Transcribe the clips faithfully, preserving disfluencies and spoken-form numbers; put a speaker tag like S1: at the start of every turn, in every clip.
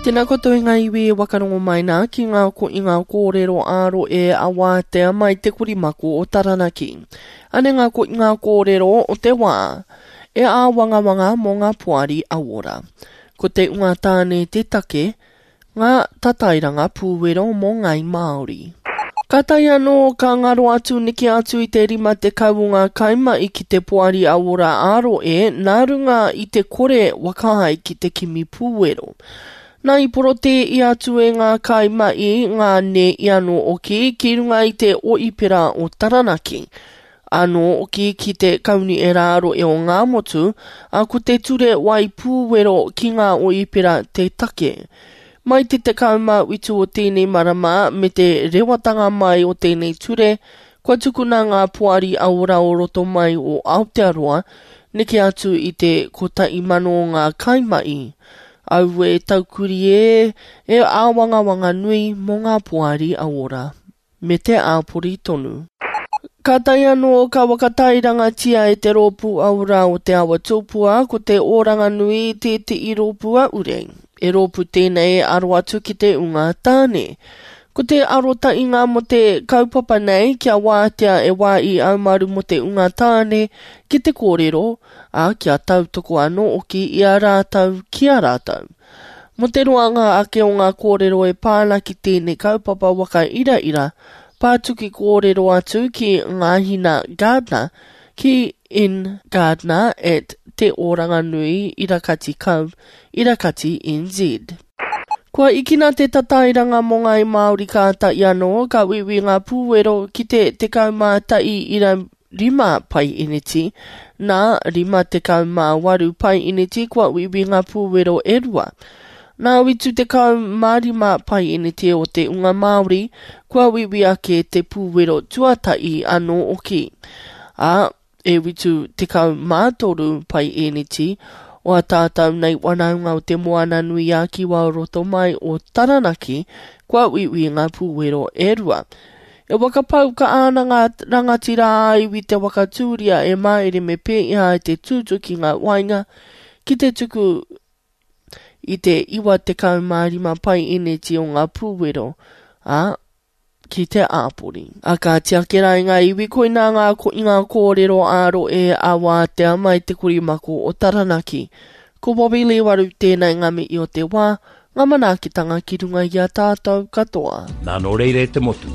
S1: Tēnā koutou e ngā iwi e wakarongo mai nā ki ngā ko i ngā kōrero ā-rohe e awātea mai te korimako o Taranaki. Ane ngā ko i ngā kōrero o te wā e āwangawanga mō ngā poari awora. Ko te unga tāne te take, ngā tatairanga pūwero mō Ngāi Māori. Kātahi anō ka ngaro atu neke atu i te rima tekau o ngā kaimahi ki te Poari Awora ā-Rohe nā runga i te kore whakaae ki te kimi pūwero. Nā i porotē i atu e ngā kaimahi ngā nē i anō oki ki runga i te Oipera o Taranaki, anō oki ki te Kaunihera ā-Rohe o Ngāmotu, ā, ko te ture wai pūwero ki ngā oipera te take. Mai te tekau mā whitu o tēnei marama me te rewatanga mai o tēnei ture, kua tukuna ngā poari aora o roto mai o Aotearoa, neke atu i te kotahi mano o ngā kaimahi. Aue taukuri e, e āwangawanga nui mō ngā poari aora. Me te āpori tonu. Kātahi anō ka whakatairangatia e te rōpū aora o Te Awa Tupua ko te Oranganui tētehi rōpū a Ure. E rōpū tēnei e aro atu ki te unga tāne. Ko te arotahinga mō te kaupapa nei kia wātea e wā i aumaru mō te unga tāne ki te kōrero, ā, kia tautoko anō hoki i a rātou ki a rātou. Mō te roanga ake o ngā kōrero e pā ana ki tēnei kaupapa waka iraira, pātuki kōrero atu ki Ngāhina Gardner ki ngardner at te oranganui irakati com irakati nz. Kua ikina te tatairanga mō Ngāi Māori kātahi anō ka uiui ngā pūwero ki te tekau mā tahi ira rima paeneti, nā rima tekau mā waru paeneti kua uiui ngā pūwero e rua. Nā whitu tekau mā rima paeneti o te unga Māori kua uiui ake te pūwero tuatahi anō oki. Ā, e whitu tekau mā toru paeneti o a tātou nei wanaunga o te Moana nui a Kiwa o roto mai o Taranaki kua uiui ngā pūwero e rua. E whakapau ka ana ngā rangatira ā-iwi te whakatūria e Māere me Pēiha i te tūtuki ngā wainga ki te tuku i te iwa tekau mā rima paeneti o ngā pūwero, ā, ki te āpori. A kāti ake rā i ngā iwi koinā ngā ko i ngā kōrero ā-rohe a wātea mai te korimako o Taranaki. Ko Bobby Lee Waru tēnei ngā mihi o te wā, ngā manaakitanga ki runga i a tātou katoa.
S2: Nā nō reira e te motu,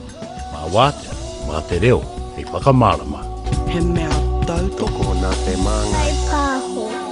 S2: mā wātea, mā te reo, hei whakamārama.
S3: He mea tautoko
S4: Tokona te māngai.
S5: Whai pāho.